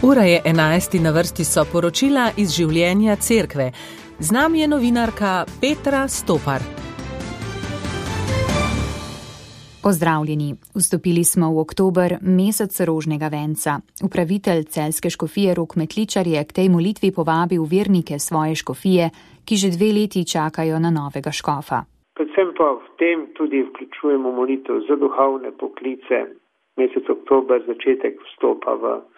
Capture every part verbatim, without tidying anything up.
Ura je enajst in na vrsti so poročila iz življenja cerkve. Z nami je novinarka Petra Stopar. Pozdravljeni. Vstopili smo v oktober, mesec rožnega venca. Upravitelj celjske škofije Rok Metličar je k tej molitvi povabil vernike svoje škofije, ki že dve leti čakajo na novega škofa. Predvsem pa v tem tudi vključujemo molitev za duhovne poklice. Mesec oktober, začetek vstopa v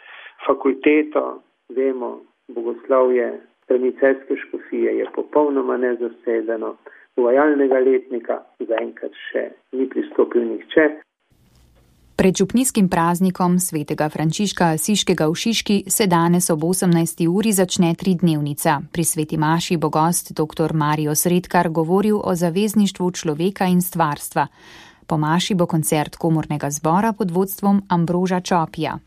fakulteto, vemo, bogoslovje strani celjske škofije je popolnoma nezasedeno, uvajalnega letnika zaenkrat še ni pristopil nihče. Pred župnijskim praznikom svetega Frančiška Asiškega v Šiški se danes ob osemnajsti uri začne tridnevnica. Pri sveti maši bo gost dr. Mario Sredkar govoril o zavezništvu človeka in stvarstva. Po maši bo koncert komornega zbora pod vodstvom Ambroža Čopija.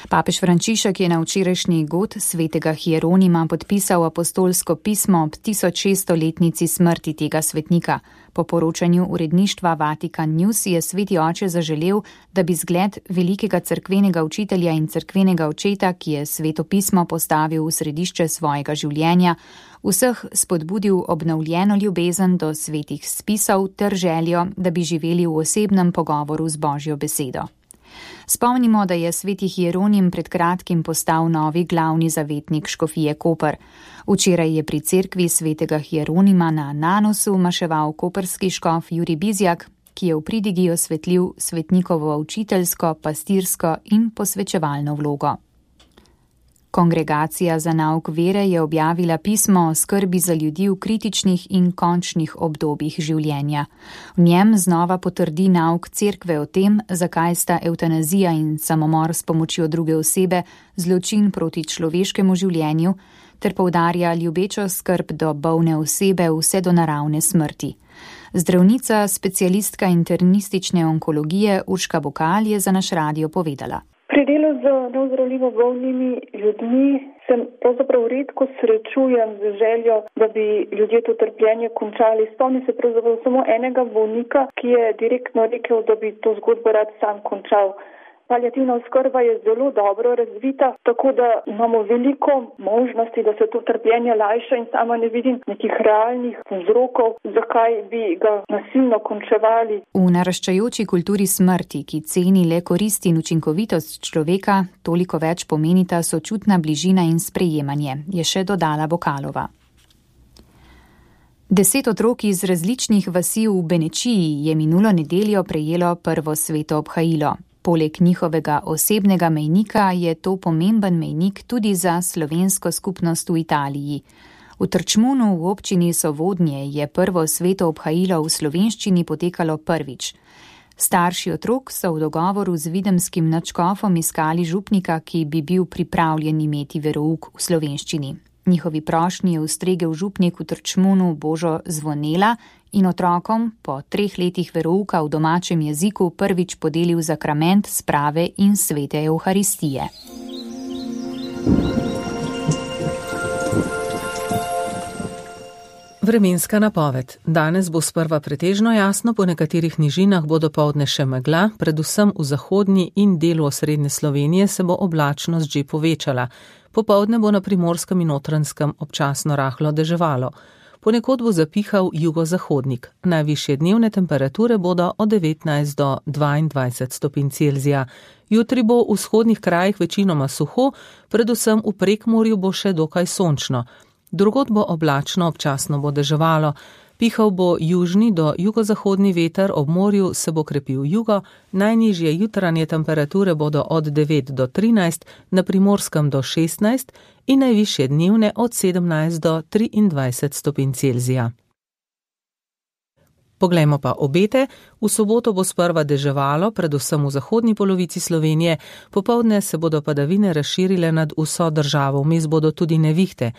Papež Frančišek je na včerajšnji god svetega Hieronima podpisal apostolsko pismo ob tisoč šeststoletnici smrti tega svetnika. Po poročanju uredništva Vatikan News je sveti oče zaželel, da bi zgled velikega cerkvenega učitelja in cerkvenega očeta, ki je sveto pismo postavil v središče svojega življenja, vseh spodbudil obnovljeno ljubezen do svetih spisov ter željo, da bi živeli v osebnem pogovoru z Božjo besedo. Spomnimo, da je sveti Hieronim pred kratkim postal novi glavni zavetnik škofije Koper. Včeraj je pri cerkvi svetega Hieronima na Nanosu maševal koperski škof Jurij Bizjak, ki je v pridigi osvetlil svetnikovo učiteljsko, pastirsko in posvečevalno vlogo. Kongregacija za nauk vere je objavila pismo o skrbi za ljudi v kritičnih in končnih obdobjih življenja. V njem znova potrdi nauk cerkve o tem, zakaj sta evtanazija in samomor s pomočjo druge osebe zločin proti človeškemu življenju, ter poudarja ljubečo skrb do bolne osebe vse do naravne smrti. Zdravnica, specialistka internistične onkologije Urška Bokal je za naš radio povedala. Pri delu z neozdravljivo bolnimi ljudmi se pravzaprav redko srečujem z željo, da bi ljudje to trpljenje končali. Spomnim se pravzaprav samo enega bolnika, ki je direktno rekel, da bi to zgodbo rad sam končal. Paliativna oskrba je zelo dobro razvita, tako da imamo veliko možnosti, da se to trpljenje lajša in sama ne vidim nekih realnih vzrokov, zakaj bi ga nasilno končevali. V naraščajoči kulturi smrti, ki ceni le korist in učinkovitost človeka, toliko več pomenita sočutna bližina in sprejemanje, je še dodala Bokalova. Deset otrok iz različnih vasi v Benečiji je minulo nedeljo prejelo prvo sveto obhajilo. Poleg njihovega osebnega mejnika je to pomemben mejnik tudi za slovensko skupnost v Italiji. V Trčmunu v občini Sovodnje je prvo sveto obhajilo v slovenščini potekalo prvič. Starši otrok so v dogovoru z videmskim nadškofom iskali župnika, ki bi bil pripravljen imeti verouk v slovenščini. Njihovi prošnji je ustregel župnik v Trčmunu Božo Zvonela in otrokom po treh letih verouka v domačem jeziku prvič podelil zakrament sprave in svete Evharistije. Vremenska napoved. Danes bo sprva pretežno jasno, po nekaterih nižinah bo dopoldne še megla, predvsem v zahodnji in delu osrednje Slovenije se bo oblačnost že povečala. Popoldne bo na Primorskem in Notranjskem občasno rahlo deževalo. Ponekod bo zapihal jugozahodnik. Najvišje dnevne temperature bodo od devetnajst do dvaindvajset stopinj Celzija. Jutri bo v vzhodnih krajih večinoma suho, predvsem v Prekmurju bo še dokaj sončno. Drugod bo oblačno, občasno bo deževalo. Pihal bo južni do jugozahodni veter, ob morju se bo krepil jugo, najnižje jutranje temperature bodo od devet do trinajst, na Primorskem do šestnajst in najvišje dnevne od sedemnajst do triindvajset stopinj Celzija. Poglejmo pa obete. V soboto bo sprva deževalo, predvsem v zahodni polovici Slovenije, popoldne se bodo padavine razširile nad vso državo, vmes bodo tudi nevihte.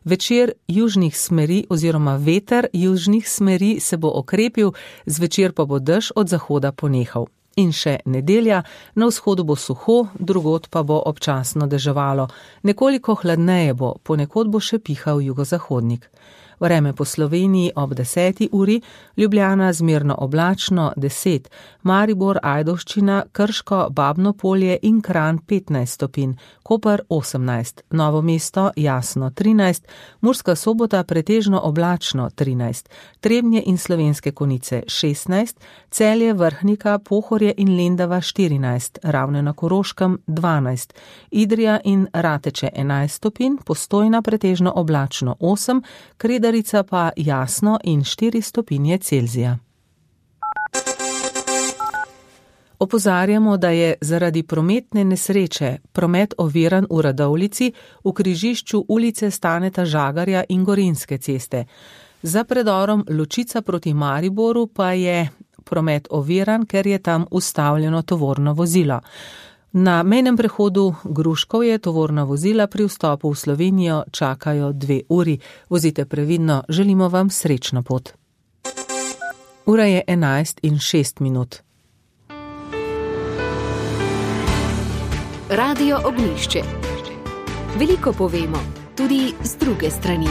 Večer južnih smeri oziroma veter južnih smeri se bo okrepil, zvečer pa bo dež od zahoda ponehal. In še nedelja, na vzhodu bo suho, drugod pa bo občasno deževalo. Nekoliko hladneje bo, ponekod bo še pihal jugozahodnik. Vreme po Sloveniji ob deseti uri, Ljubljana zmerno oblačno deset, Maribor, Ajdovščina, Krško, Babno Polje in Kranj petnajst stopinj, Koper osemnajst, Novo mesto jasno trinajst, Murska Sobota pretežno oblačno trinajst, Trebnje in Slovenske Konjice šestnajst, Celje, Vrhnika, Pohorje in Lendava štirinajst, Ravne na Koroškem dvanajst, Idrija in Rateče enajst stopinj, Postojna pretežno oblačno osem, Kredarica pa jasno in štiri stopinje Celzija. Opozarjamo, da je zaradi prometne nesreče promet oviran v Radovljici v križišču ulice Staneta Žagarja in Gorenjske ceste. Za predorom Ločica proti Mariboru pa je promet oviran, ker je tam ustavljeno tovorno vozilo. Na mejnem prehodu Gruškovje tovorna vozila pri vstopu v Slovenijo čakajo dve uri. Vozite previdno, želimo vam srečno pot. Ura je enajst in šest minut. Radio Ognjišče. Veliko povemo, tudi z druge strani.